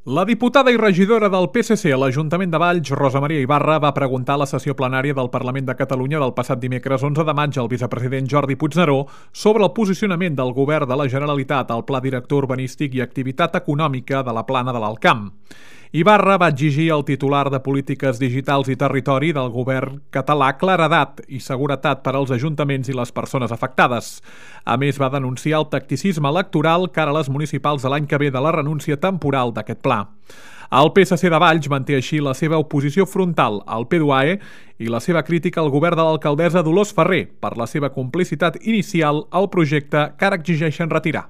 La diputada i regidora del PSC a l'Ajuntament de Valls, Rosa Maria Ibarra, va preguntar a la sessió plenària del Parlament de Catalunya del passat dimecres 11 de maig al vicepresident Jordi Puigneró sobre el posicionament del govern de la Generalitat al Pla Director Urbanístic i Activitat Econòmica de la Plana de l'Alcamp. Ibarra va exigir al titular de Polítiques Digitals i Territori del govern català claredat i seguretat per als ajuntaments i les persones afectades. A més, va denunciar el tacticisme electoral cara a les municipals de l'any que ve de la renúncia temporal d'aquest pla. El PSC de Valls manté així la seva oposició frontal al PDUAE i la seva crítica al govern de l'alcaldessa Dolors Ferrer per la seva complicitat inicial al projecte que ara exigeixen retirar.